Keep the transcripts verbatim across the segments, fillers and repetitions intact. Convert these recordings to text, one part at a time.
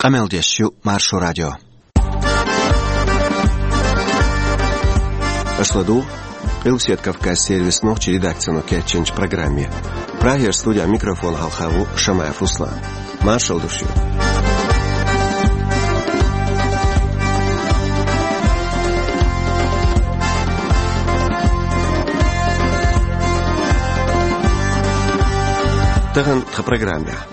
Къамел деш ю Маршо радио. Аша ладугӀу Къилбаседа Кавказан сервисан нохчийн редакцино кечйинчу программе. Прагера студехь микрофон хьалха ву Шамаев Руслан. Маршалла ду шуьга. Тахана тхан программехь.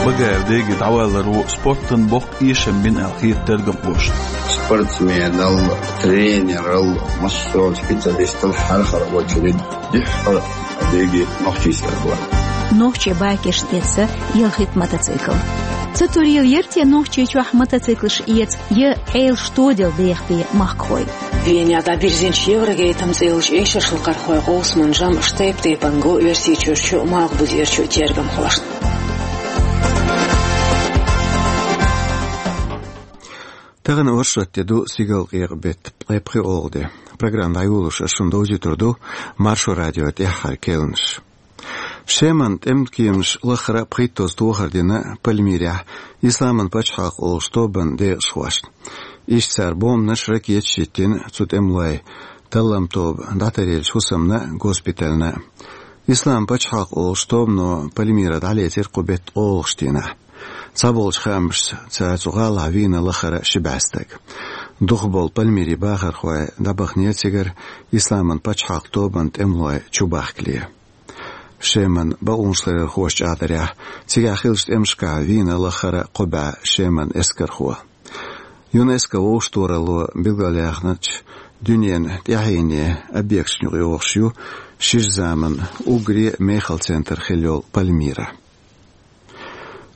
Багаев Деги дӀаваларо спортан боккха эшам бина аьлла хета тергамхошна. Спортсменал, тренерал, массо а специалистал хьархара очередь дуьххьара Деги нохчийн стаг вара. Нохчийн бакеш тесна ялхитта мотоцикл. Ца турийла яра те Нохчийчохь мотоциклаш эца я Ӏелаш тоделла деха бен махкахой? Венехь дӀабирзинчу Еврогейтам цӀе йолчу эшаршлакхархойн къовсаман жамӀаш тайп-тайпана го Оьрсийчуьрчу а, Малхбузерчу а тергамхошна. Тахана оршот де ду, стигалкъекъа беттан ткъе пхи оха де. Программа дӀайолош ас шуна довзуьйтур ду Маршо радион тӀаьххьара керланаш. Шеман тӀеман кеманаш лаххара а пхийттазза тохар дина Пальмирехь Исламан пачхьалкх олучу тобанан декъашхошна. Иштта цара бомбанаш, ракеташ йиттина цу тӀемалойн талламан тоба дӀатаръеллачу хӀусамна а, госпитальна а. Исламан пачхьалкх олучу тобано Пальмира дӀалецира кху беттан оха дийнахь. Цхьаболчу хаамашца, цара цу гӀалахь вийна лаххара а ши бӀе стаг. Дукхахболу Пальмиран бахархой дӀабаханера цигара Исламан пачхьалкх тобанан тӀемалой чубахкале. Шеман бакъонашларъярхоша чӀагӀдарехь, цигахь хиллачу тӀемашкахь вийна лаххара а кхо бӀе шеман эскархо. ЮНЕСКО вовшахтохаралло билгалъяьхначу дуьненан тӀаьхьенан объекташна юкъайогӀуш ю шира заманан уггаре а мехала центр хилла йолу Пальмира.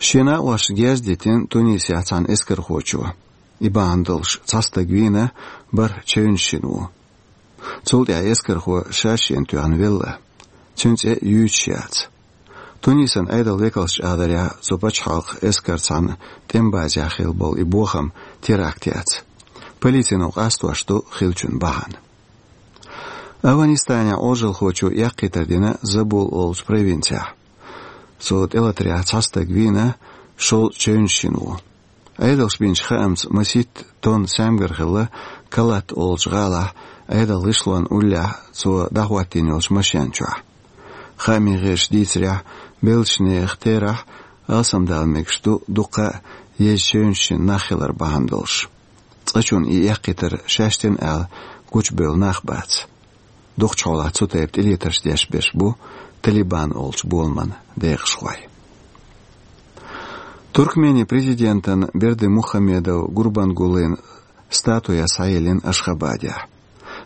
Шен накъосташна герз дитина Тунисехь цхьана эскархочо. И бахьана долуш цхьа стаг вийна, бархӀ чевнаш йина ву. Цул тӀаьхьа эскархо ша шена тоьхна велла. Цуьнан цӀе юьйцуш яц. Тунисан Ӏедалан векалша чӀагӀдарехь, цу пачхьалкхан эскаран цхьана тӀеман базехь хилла болу и бохам теракт яц. Полицино къастош ду хиллачун бахьана. Афганистанехь Ӏожалхочо эккхийтар дина Забул олучу провинцехь. Цо тӀелатарехь цхьа стаг вийна, шовзткъа чевнаш йина ву. Ӏедалша бинчу хаамца, масийтта тонна саьмгар хилла Калат олучу гӀалахь Ӏедалан гӀишлонна уллехь цо дӀахӀоттийна йолчу машен чохь. Хаамийн гӀирсаша дийцарехь, беллачу нехан терахь алсамдала мегаш ду дуккха а еза чевнаш йина нах хилар бахьана долуш. Цкъачунна и эккхийтар шаьш дина аьлла гучубевлла нах бац. Дукхачу хьолахь цу тайпа тӀелетарш деш берш бу Талибан олучу боламан декъашхой. Туркменин президентан Бердымухамедов Гурбангулын статуя схьаеллина Ашхабадехь.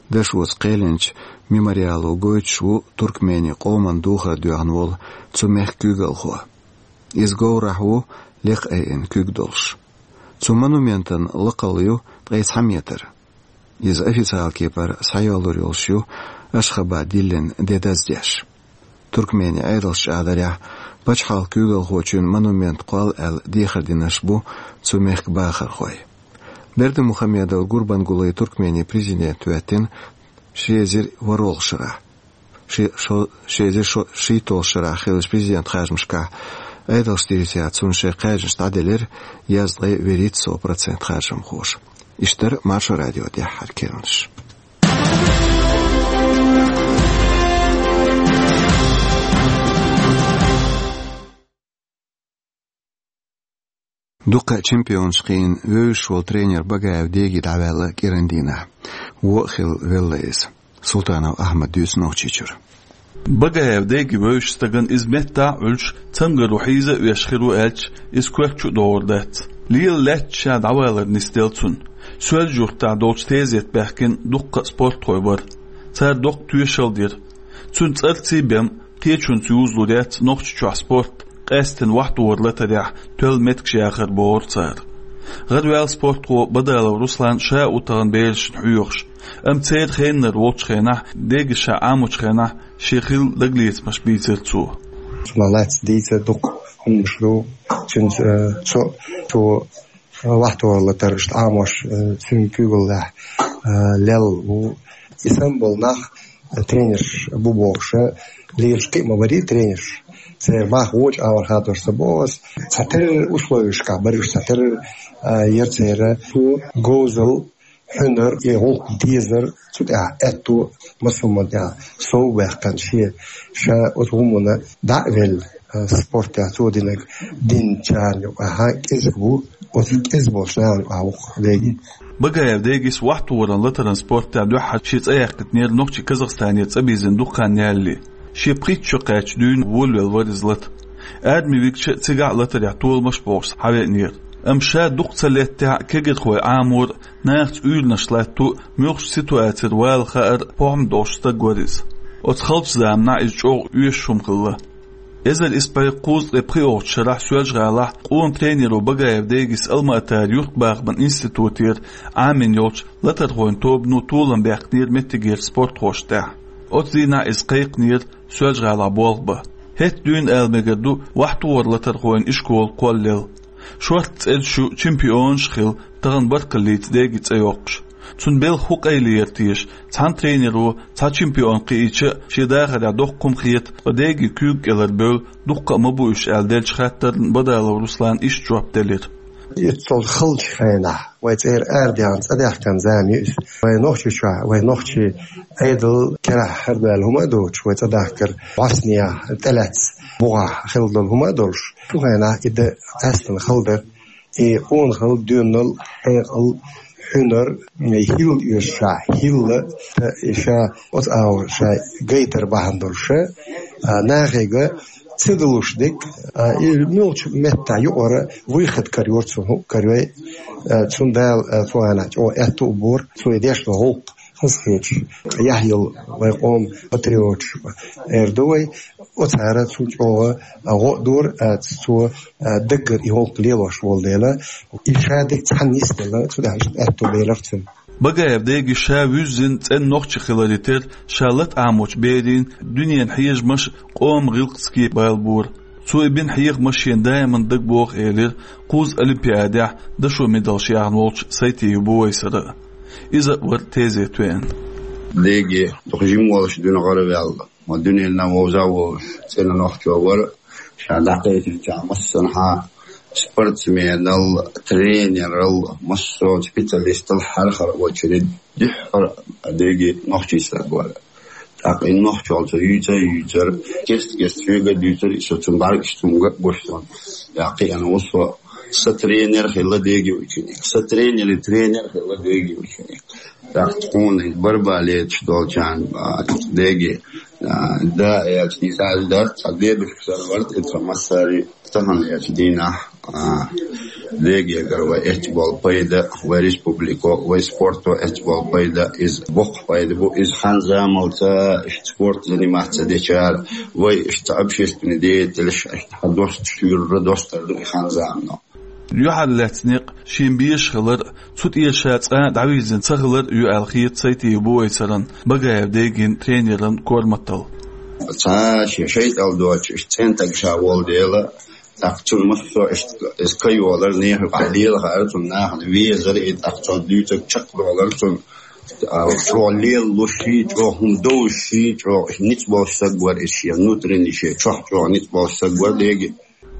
Дашоца кхелинчу мемориало гойтуш ву Туркменин къоман духар доьхна волу цу мехкан куьйгалхо. Иза говрахь ву, лекха айина куьг долуш. Цу монументан лакхалла ю ткъе цхьа метр. Иза официалан кепара схьайоллур йолуш ю Ашхабад диллина де даздеш. Туркменин Ӏедалша чӀагӀдарехь, пачхьалкхан куьйгалхочун монумент кхолла аьлла дехар динарш бу цу мехкан бахархой. Бердымухамедов Гурбангулы Туркменин президент хӀоьттина ши эзар ворхӀалгӀачу шарахь. Ши-, шо-, ши эзар шо-, шийтталгӀачу шарахь хиллачу президентан харжамашкахь Ӏедалша дийцарехь, цунна шайн кхаьжнаш дӀаделира язткъе вуьрхӀитта сов процент харжамхоша. Иштта дара Маршо радион тӀаьххьара керланаш. Дуккха а чемпионаш кхиъна вевзаш волу тренер Багаев Деги дӀаваьлла кӀиран дийнахь. Вон а хилла велла иза. Султанов Ахьмада дуьйцу Нохчийчуьра. Багаев Деги вевзачу стагана иза меттахь а Ӏуьллуш, цамгаро хьийза а веш хир ву аьлча, иза коьрта чу а догӀур дац. Лела лаьтташ ша дӀавалар нисделла цунна. Соьлжа-Юьртахь долчу тезета баьхкина дуккха а спортхой бара. Цара доккха тоьшалла дира. Цуьнан цӀарций бен, кхечуьнца юзалур яц Нохчийчохь спорт, къаьсттина вахтогӀар латарехь тоьлла меттигаш яхар бохура цара. ГӀараваьлла спортхо Бадалов Руслан ша а ву тахана берашна хьоьхуш, амма церан хеннара волчу хенахь, Деги ша Ӏамочу хенахь, шен хилла дагалецамаш бийцира цо. Цунах лаьцна дийца дукха хӀуманаш ду, цуьнца, э, цо, цо вахтогӀар латар иштта Ӏамош, э, цуьнан куьйгаллехь, э, лелла ву. И санна болу нах тренерш бу бохуш, лелаш кхиъ ма барий тренерш. Церан баха вочу агӀор хадош ца боху ас. Цхьатерра условиешкахь бара уьш, цхьатерра, а, яра церан цо говзал, хьуьнар, и гӀуллакх дезар, цу тӀехь аьтту массо а тӀехь сов баьккхина шен, ша оцу хӀуманна дӀа а велла, а, спортехь цо динарг динчарна юкъахь кӀезиг ву, оцу кӀезиг болчу нахана юкъахь ву-кх Деги. Багаев Дегис вахтугӀуран латаран спортехь дуьххьара шен цӀе яьккхинера нохчий Казахстанера цӀа бийзина дукха хан ялале. Шен пхийтта шо кхаьчча дуьйна волавелла вара иза лата. Арми вигча а цигахь а латарехь толамаш а бохуш схьавеанера. Амма ша дукха ца леттехь а кегирхой Ӏамор а, нахаца уьйранаш латто а, муьлххачу ситуацера вала хаар а похӀма долуш стаг вара иза. Оцу халчу заманахь иза чӀогӀа оьшуш хӀума хилла. Эзар исс бӀе кхузткъе пхоьалгӀачу шарахь Соьлжа-ГӀалахь къона тренеро Багаев Дегис Алма-Атара юьртбахаман институтера Ӏамийна йолчу латархойн тобано толам баьккхинера меттигера спортхошна тӀехь. Оцу дийнахь иза кхайкхинера Соьлжа-ГӀалахь болх бан. ХӀетта дуьйна ала мегар ду вахтугӀуран латархойн ишкола кхоллаелла. Шортта цӀераш ю, чемпионаш а хилла, тахана баркаллица Деги цӀе йоккхуш. Цуьнан белхан хӀун къайле яра теша, цхьана тренеро цхьа чемпион кхиийча а, шен дахарехь доккха хӀума хета, ткъа Деги куьйга кӀелара бевлла, дуккха а ма бу уьш аьлла деллачу хаттарна Бадалов Руслана иштта жоп делира. Иза цул халчу хенахь, вай цӀера арадаьхна, цӀа даьхкина зама ю иза. Вай Нохчийчохь, вай нохчий Ӏедал керахь хьарбаьлла хӀума а доцуш, вай цӀа дахкар бӀоснехь, тӀелаьцна бухахь хилла долу хӀума а долуш, цу хенахь и дан къаьстина хала дара. И къонахалла, доьналла, хьекъал, хьуьнар, хӀилла оьшуш, хӀилла, и ша оцу агӀор ша гайтар бахьана долуш, а, нахега ца далуш дерг, а, и муьлххачу меттехь юкъара выход карайора цунна, хӀуъа карайой, а, цунна Дала, а, цу хенахь чӀогӀа аьтту а бора, цо и деш долу гӀуллакх хазахеташ, яхь йолу вай къоман патриоташ эр ду вай, оцара цунна чӀогӀа гӀо а дора, а, цо, а, даггара и гӀуллакх лелош волу дела, и ша дерг цхьаьна нисделла, цу тӀехь иштта аьтту белира цунна. Багаев Деги ша вуьззина цӀена нохчи хиларе терра, ша лата Ӏамочу берийн дуьненан хьежамаш а, къоман гӀиллакхаш а бала бора. Цо и бина хьехамаш шена даиман дага боху элира кхузткъа олимпиадехь дашо медалш яьхна волчу Сайтиев Бувайсара а. Иза а вара тезета веана. Деги, дукха жима волуш дуьне гӀараваьлла, ма дуьненна вовза а волуш, цӀена нохчо вара, ша дӀакхайкхинчарна массанхьа спортсменал, тренерал, массо а специалистал хьархара очередь дуьххьара Деги нохчий стаг вара. ТӀаккха и нохчалла цо юьйцар а юьйцар, кест-кеста шега а дуьйцура, и со цунна бӀаьргаш цунга а гуш сон. Я кхиъна ву со, сан тренер хилла Деги ученик, сан тренери тренер хилла Деги ученик. ТӀаккха тхуна и барба леташ долчарна, а, Деги, а, да, аьлча, иза аш дац, цхьа дедушка санна вара, и тхан массари. Тахана эцу дийнахь, а, Дегегара вай эцна болу пайда, вай республико, вай спорто эцна болу пайда, иза боккха пайда бу, иза хан-заманца иштта спорт заниматься дечара, вай иштта общественный деятелаш, иштта хьан доста шуьйра достар ду и хан-замано. Юьхьарлаьцна некъ шен безаш хилар а, цу тӀера ша цкъа а дӀавирзина ца хилар а ю аьлла хета Сайтиев Бувайсаран Багаев Дегин тренеран корматалла. Цхьа шен шайтӀал доцуш, иштта цӀена стаг ша волу дела, тӀаккха цунна массо а иштта иза кайолар, нехан юкъахь лелахаар цунна нахана везар, и тӀаккха цо дуьйцург чекхдолар цунна. А, чӀогӀа лелалуш ший, чӀогӀа хӀума довзуш ший, чӀогӀа ницкъ болуш стаг вара иза шен, внутренний шен чохь чӀогӀа ницкъ болуш стаг вара Деги.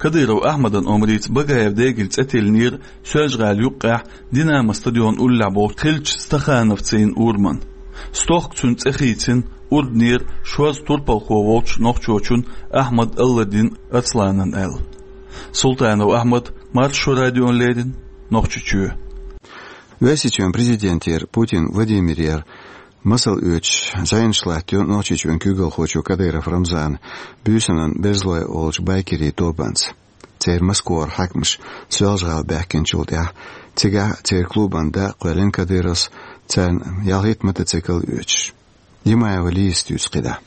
Кадыров Ахьмадан омрица Багаев Дегин цӀе тиллинера Соьлжа-ГӀала юккъехь Динамо стадион уллехь болчу кхеллачу Стахановцийн ураман. Стохка цуьнан цӀе хийцина, урданера шозза турпалхо волчу нохчочун Ахьмад Алладин Арсланан аьлла. Султанов Ахьмад, Маршо радиона леррина, Нохчийчоь. Оьрсийчоьнан президентера Путин Владимирера масал оьцуш зӀенаш латтайо Нохчийчоьнан куьйгалхочо Кадыров Рамзана буьйсанан берзалой олучу байкерийн тобанца. Церан Москвара хьаькамаш Соьлжа-ГӀала баьхкинчул тӀаьхьа цигахь а церан клубан дакъа кхоьллина Кадыровс, царна ялхитта мотоцикл а оьцуш. Димаева Лизас дуьйцу кхидӀа.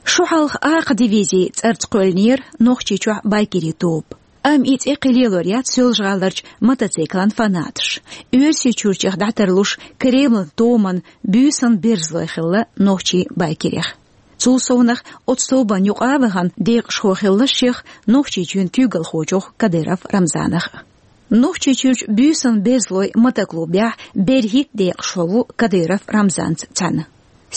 Шу хьалха «Архадивизия» цӀарца кхоьллинера Нохчийчохь байкерийн тоба. Амма и цӀе кхин лелор яц Соьлжа-ГӀаларчу мотоциклан фанаташ. Оьрсийчуьрчех дӀатарлуш Кремлан томан буьйсанан берзалой хилла нохчийн байкерех. Цул совнаха оцу тобанна юкъа а вахана декъашхо хилла шех Нохчийчоьнан куьйгалхочух Кадыров Рамзанах. Нохчийчуьрчу буьйсанан берзалойн мотоклубехь берхӀитта декъашхо ву Кадыров Рамзанца цхьаьна.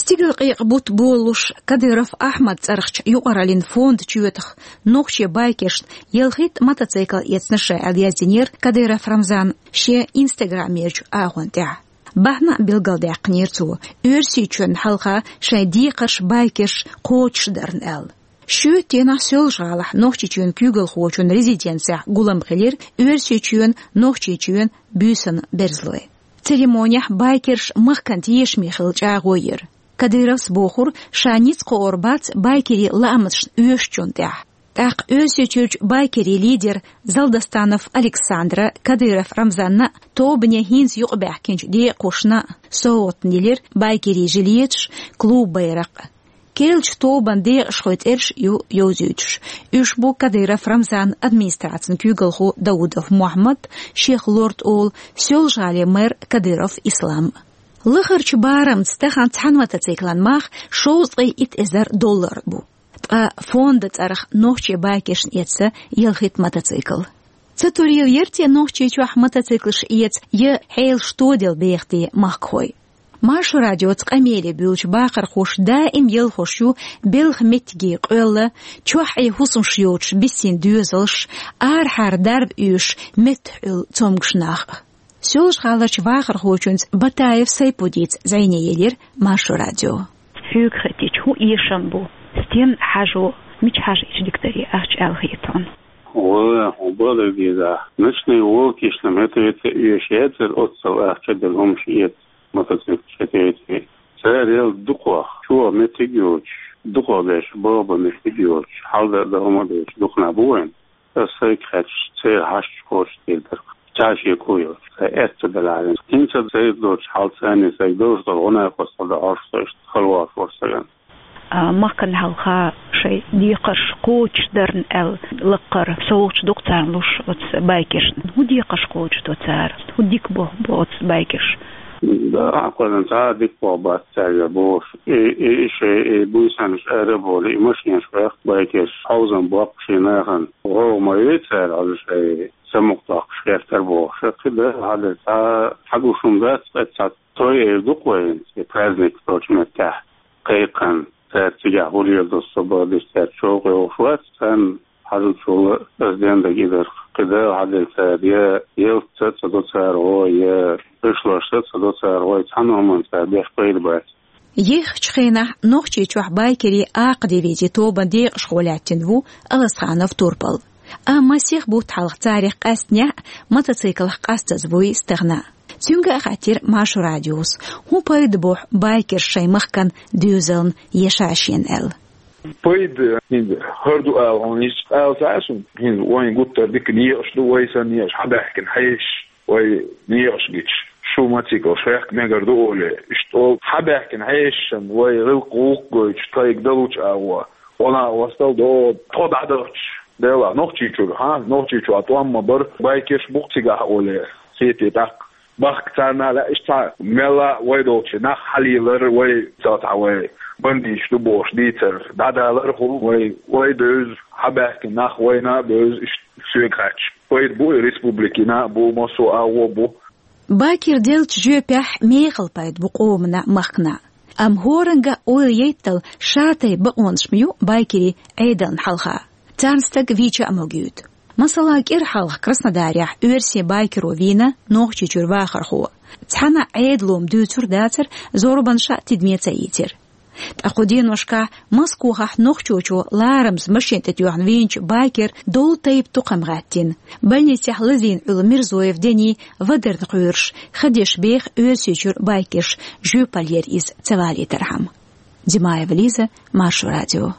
Стигалкъекъа бутт болалуш Кадыров Ахьмадан цӀарахча юкъараллин фонда чоьтах нохчий байкершна ялхитта мотоцикл эцна ша аьлла яздинера Кадыров Рамзана шен инстаграмерчу агӀон тӀехь. Бахьана а билгалдаьккхинера цо, Оьрсийчоьнна хьалха шайн декхарш байкерш кхочушдарна аьлла. Шоьтан дийнахь Соьлжа-ГӀалахь Нохчийчоьнан куьйгалхочун резиденцехь гулам хилира Оьрсийчоьнан, Нохчийчоьнан буьйсанна берзалой. Церемонехь байкерш махкана тешаме хилла чӀагӀо яра. Кадыровс бохура, ша ницкъ кхоор бац байкерийн лаамашна оьшучунна тӀехь. ТӀаккха Оьрсийчуьрчу байкерийн лидера Залдостанов Александра Кадыров Рамзанна а, тобане хӀинца юкъабаьхкинчу декъашна а совгӀатна елира байкерийн жилеташ, клуб байракх. Керлачу тобанан декъашхойн цӀераш ю йовзуьйтуш. Уьш бу Кадыров Рамзанан администрацин куьйгалхо Даудов Мухьаммад, шех лорд олу Соьлжа-ГӀалин мэр Кадыров Ислам. Лахарчу барамца тахана цхьана мотоциклан мах шовзткъе итт эзар доллар бу. Ткъа фондан цӀарах нохчий байкершна эцна ялхитта мотоцикл. Ца турийла яра те Нохчийчохь мотоциклаш эца я хьелаш тоделла беха те махкахой? Маршо радиоца къамеле буьйлучу бахархоша даим ялхош ю белхан меттиге къоьлла, чохь Ӏе хӀусамаш йоцуш бисина доьзалш, арахьара дарба оьшуш меттахь Ӏуьллу цомгуш нах а. Соьлжа-ГӀаларчу вахархочуьнца Батаев Сайпудица зӀене елира Маршо радио. Хьоьга хетча, хӀун эшам бу? Стенна хьажо, мича хьажа эчу дикадаре ахча аьлла хета хьуна? Вала, хьо бала деза. Ночные волки, что метрите и щецер, оццал ахча дер хӀумаш эца, мотоцикл четвертый. Цара ял дукхох, чо меттиг йоцуш, дукхох деш, баба меттиг йоцуш, хьалда да хӀума деш, дукхана бу вайн. Аса сайга хаьттича, церан хьашташ кхочушдийр дара. Чашеко йоцуш, сан эцца даларин. ХӀинца сайга доцуш хьал царна сайга довш дара, гӀо накъостал да хьорш со иштта халвалаш вара саган. А, махкана хьалха шайн декхарш кхочушдарна аьлла, лаккхара совгӀаташ ду-кх царна луш оцу байкершна. ХӀун декхарш кхочушдо цара? ХӀун дика бо, бо оцу байкерш? Да, кхузахь цхьа а дика бо бац цаьрга бохуш. И, и, и шайн, и буьйсанаш ара а бовлий, и машенаш ваьккхи байкерш, хьовзам боккху шен нахана. ГӀо ма вей цара, хьажа шайн самукъадоккхуш гӀертар бохуш. Кхин да, хьалха цхьа, хьагуш хӀума дац, ткъа цхьа той эр ду-кх вайн, и праздник долчу меттехь. Кхайкхина, цаьрца цигахь хӀур эр ду, со бан диш цаьрца чӀогӀа йогӀуш вац, царна хьажучул ас денна дагахь и дара. Кхин да, хьалха цара я ялтца ца до цара гӀо, я гӀишлошца ца до цара гӀо, цхьана хӀуманна цара беш пайда бац. Ехачу хенахь Нохчийчохь байкерийн акха дивизи тобанан декъашхо лаьттина ву Аласханов Турпал. Амма сиха бутт хьалха царах къаьстинехь а, мотоциклах къастаза вуй стагана. Цуьнга а хаьттира Маршо радиос, хӀун пайда боху байкерш шайн махкан доьзална я ша шена аьлла. Пайда хӀинца хӀара ду ала хьуна, иза ала ца Ӏа суна. ХӀинца вайн гуттар дика некъаш ду, вай санна некъаш хьабаьхкина хьешаш. Вай некъаш гича, шу мотоциклаш ваьккха мегар ду олий. Иштта олу хьабаьхкина хьешашна вай гӀиллакх-гӀуллакх гойтуш, тхайга далучу агӀо, гӀо накъостал до, тхо дӀадахча. Делахь Нохчийчуьра, хьа, Нохчийчохь тӀом ма бара, байкерш бу-кх цигахь олий. Хетий тӀаккха? Бахка царна а лаьа, иштта цхьа мелла а вай долчу нах хьалийлар, вай цхьа цхьа вай бандиташ ду бохуш дийцар дӀадалар а хуьлу, вай, вай бевза, хьабаьхкина нах вайна а бевза, иштта соьга хаьттича. Пайда бу и республикина а бу, массо а агӀо бу. Байкерш деллачу жоьпехь мехала пайда бу къомана а, махкана а. Амма хӀоранга а ойла яйттал, ша тайпа бакъонаш ма ю байкерийн Ӏедална хьалха. Царна стаг вийча а могуьйту. Масала, кӀира хьалха Краснодарехь оьрсийн байкеро вийна Нохчийчуьра вахархо. Цхьана а Ӏедало-м дуьйцур дацара, зорбанаш а тидаме ца ийцира. Ткъа кху деношкахь Москохахь нохчочо ларамаза машен тӀе тоьхна вийначу байкера долу тайпа тукхам гӀаьттина. Больницехь лазийна Ӏуьллу Мирзоев Дени вадарна кхоьруш, ха деш беха Оьрсийчуьра байкерш, жоьпаллера иза ца валийтархьама. Димаева Лиза, Маршо радио.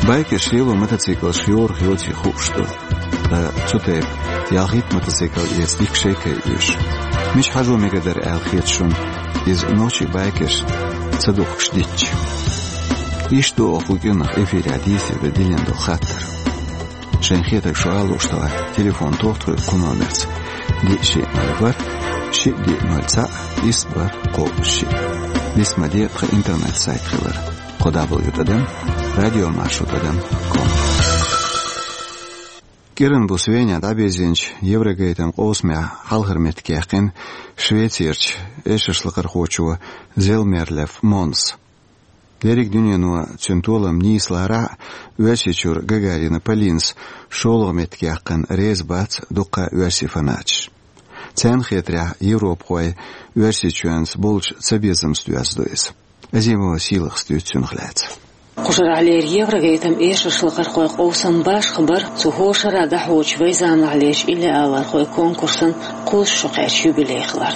Байкерш лело мотоциклаш йорах йоций хууш ду. Ткъа цу тайпа ялхитта мотоцикл эца дика шайкай оьшу. Мича хьажо мегар дара аьлла хета шуна, иза нохчий байкерш ца духкуш дитча? Иштта ду оха кху кӀиранах эфирехь дийцаре дан диллина долу хаттар. Шайн хетарг шу ала лууш талахь, телефон тоха тхоьга кху номерца: диъ шиъ ноль ворхӀ, шиъ диъ ноль цхьаъ, исс бархӀ кхоъ шиъ. Дисма де тхан интернет-сайт хилар: кхо дабл ю тӀадам радиомаршо тӀадам ком. КӀиранбус Венехь дӀабирзинчу Еврогейтам къовсамехь хьалхара меттиг яьккхина Швецерчу эшаршлакхархочо Зелмерлев Монс. Дерриг дуьнено цуьнан толам нийса ларахь а, Оьрсийчуьра Гагарина Полинас шолгӀа меттиг яьккхина реза бац дуккха а оьрсийн фанаташ. Царна хетарехь, европахой Оьрсийчоьнца болчу цабезамца доьзна ду иза. Азимова Сийлахьас дуьйцу цунах лаьцна. Кху шарахь лерина Еврогейтам эшаршлакхархойн къовсам башха бара, цу хӀора шарахь дӀахьочу вайн заманахьлерчу иллиалархойн конкурсан кхузткъа шо кхаьчна юбилей хилар.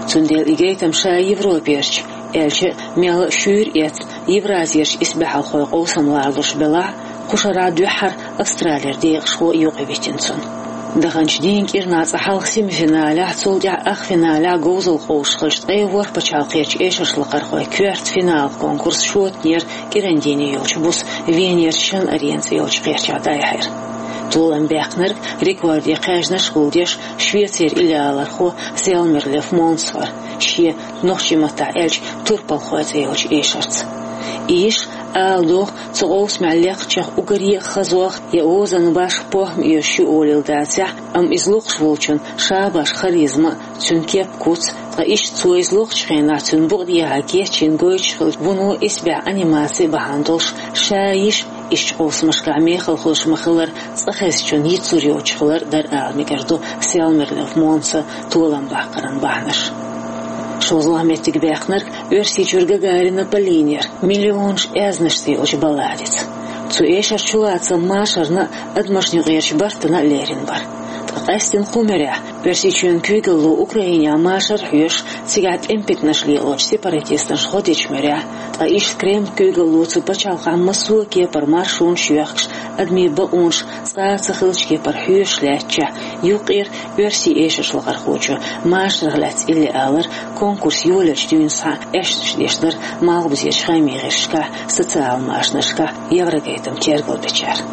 Цундела и гайтам ша Европерчу, аьлча а, мелла а шуьйра эцна, Евразерчу исбаьхьалхойн къовсам ларалуш белахь а, кху шарахь дуьххьара Австралера декъашхо юкъавитина цунна. Даханчу дийнан кӀирнах цкъа хьалха семифиналехь, цул тӀаьхьа ах финалехь говзалла къовсуш хилча, ткъе ворхӀ пачхьалкхерчу эшаршлакхархойн коьрта финал конкурс шотанера кӀиран дийне йолчу буса Венерчу Шан-Арена цӀе йолчу кхерчахь дӀаяьхьира. Толам баьккхинарг, рекорде кхаьжнаш гулдеш, Швецера иллиалархо Зелмерлев Монс вара, шен, нохчийн маттахь аьлча, турпалхой цӀе йолчу эшарца. И йиша ала догӀу, цу къовсамехь лекхачех уггаре а хазох я озанан башха похӀма оьшуш ю олийла дацахь, амма иза локхуш волчун ша башха харизма а, цуьнан кеп-куц а, ткъа иштта цо иза локхучу хенахь цуьнан букъа дехьа кечйина гойтуш хиллачу вуно исбаьхьа анимаци бахьана долуш, ша йиша иштачу къовсамашкахь мехала хуьлуш ма-хиллара, цкъа хезначунна йицлур йоцуш хилар дара ала мегар ду Зелмерлев Монсан толам баккхаран бахьанаш. ШолгӀа меттиг баьккхинарг Оьрсийчуьра Гагарина Полина яра, «Миллионаш аьзнаш» цӀе йолчу балладица. Цу эшаран чулацам машарна а, адамашна юкъерчу бартана а лерина бара. Ткъа къаьсттина кху муьрехь, Оьрсийчоьнан куьйгалло Украинехь машар а хьоьшуш, цигахь тӀеман питанаш лелочу сепаратисташа гӀо дечу муьрехь, ткъа иштта Кремлан куьйгалло цу пачхьалкхехь массо а кепара маршонаш а йоьхкуш, адамийн бакъонаш цкъа а ца хиллачу кепара хьоьшуш лаьттачохь, юккъера оьрсийн эшаршлакхархочо машарах лаьцна иллиалар конкурс йолаеллачу дуьйна схьа аьшпаш деш дара малхбузерчу хаамийн гӀирсашкахь, социал-машанашкахь Еврогейтам тергалбечара.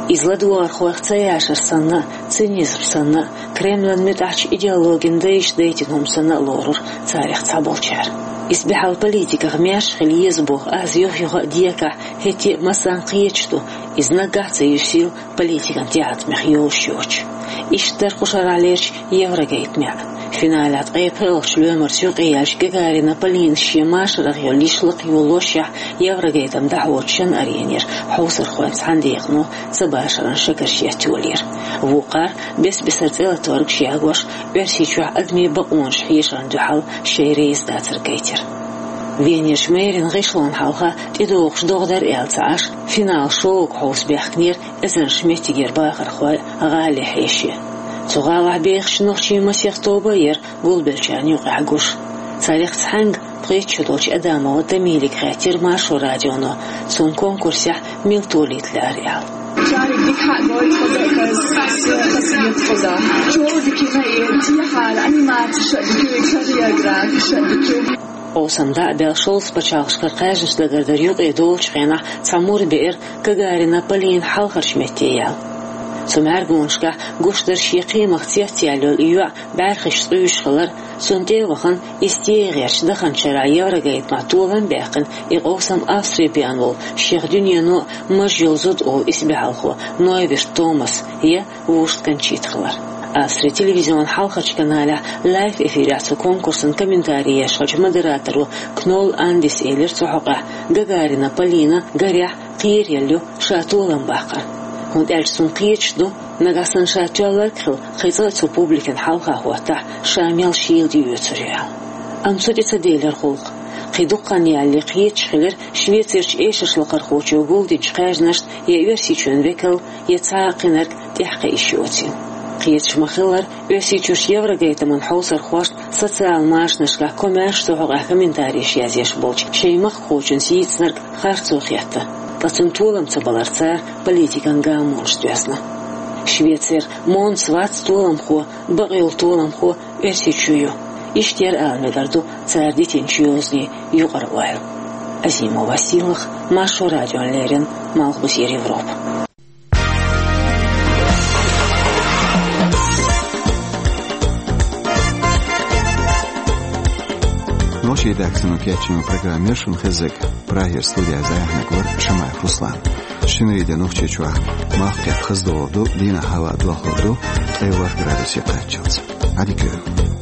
Иза ладогӀархойх ца яшар санна а, цинизм санна а, Кремлан муьтӀахьчу идеологин дайша дайтина хӀума санна а лорура царех цхьаболчара. Исбаьхьалла политиках маьрша хила еза боху аз юх-юха а декахь, хӀетте а массарна кхеташ ду, иза наггахь а ца юьсийла политикан тӀеӀаткъамех йолуш йоцуш. Иштта дара кху шарахьлерчу Еврогейтамехь. Финалехь ткъе пхоьалгӀачу лоьмарца юкъаяьлча, Гагарина Полинас шен машарах йолу йиша лакха йолалошехь, Еврогейтам дӀахьочу Шан-Аренера хьовсархойн цхьана декъано цабашаран шагарш еттайолийра. Вукхара, бес-бесара цӀе латторгаш ягош, Оьрсийчохь адамийн бакъонаш хьешарна дуьхьал шайн реза дацар гайтира. Венерчу мэрин гӀишлонна хьалха тӀедогӀуш догӀа дара аьлла ца Ӏаш, финал шоуга хьовса баьхкинера эзарнаш меттигера бахархой а, гӀали а хьеший а. Цу гӀалахь бехачу нохчийн масех тоба а яра гулбеллачарна юкъахь гуш. Царех цхьаьнга, пхийтта шо долчу Адамова Тамилига, хаьттира Маршо радионо, цунна конкурсехь мила толийта лаьара аьлла. Чариг дика хьа гойту хаза, хаза, хаза хаза хаза. Чола дика хьаэца, тӀехьара анимацеш а дика ю, хореографеш а дика ю. Къовсам дӀа а баьлла, шовзткъа пачхьалкхашкара кхаьжнаш дагардар юкъе долучу хенахь, цхьа мур беара Гагарина Полина хьалхарчу метте яьлла. Цу мӀаьргонашкахь гуш дара шен кхиамах цецъяьлла йолу и йоӀ бӀаьрхиш цӀуьйсуш хилар, цунна тӀе а вахана, иза тӀе а гӀерташ, даханчу шарахь Еврогейтамехь толам а баьккхина, и къовсам Австрин бен волу, шех дуьнено а маж йолу зуда олу исбаьхьалхо Нойберт Томас я Вуьрст Кончита хилар. Австрин телевизионан хьалхарчу каналехь лайв-эфирехь цу конкурсан комментари еш хиллачу модераторо Кнолл Андис элира цу хьокъехь, Гагарина Полина, гарехь, кхераелла ю ша толам баккхар. ХӀунда аьлча цунна кхеташ ду, нагахь санна ша тоьлларг а хилла, кхин цкъа а цу публикина хьалха хӀоттахь, ша мел шийла тӀеоьцур ю аьлла. Амма цу тӀе ца делира гӀуллакх. Кхин дукха хан ялале кхеташ хилира Швецерчу эшаршлакхархочо гулдинчу кхаьжнашна я Оьрсийчоьнан векал, я цхьа а кхинарг тӀаьхьакхиъна йоцийла. Кхеташ ма-хиллара, Оьрсийчуьрчу Еврогейтаман хьовсархошна, социал-машанашкахь комаьрша цу хьокъехь комментареш язъеш болчу шайн махкахочунна сийцинарг харцо хетта, ткъа цунна толам ца баларца цара политикан гамонаш доьзна. Швецера Монс вац толамхо, бакъйолу толамхо Оьрсийчоь ю. Иштта яра ала мегар ду цара дитинчу йозанийн юкъара ойла. Азимова Сийлахь, Маршо радиона леррина, Малхбузера Европа. Нохчийн редакцино кечйина программа яра шуна хезнарг. Прагера студехь зӀе хьоьга вара Шамаев Руслан. Шинарин де Нохчийчохь мах кхетта хаза догӀур ду, дийнахь хӀаваъ дохлур ду ткъе ворхӀ градусе кхаччалц. Ӏадика йойла.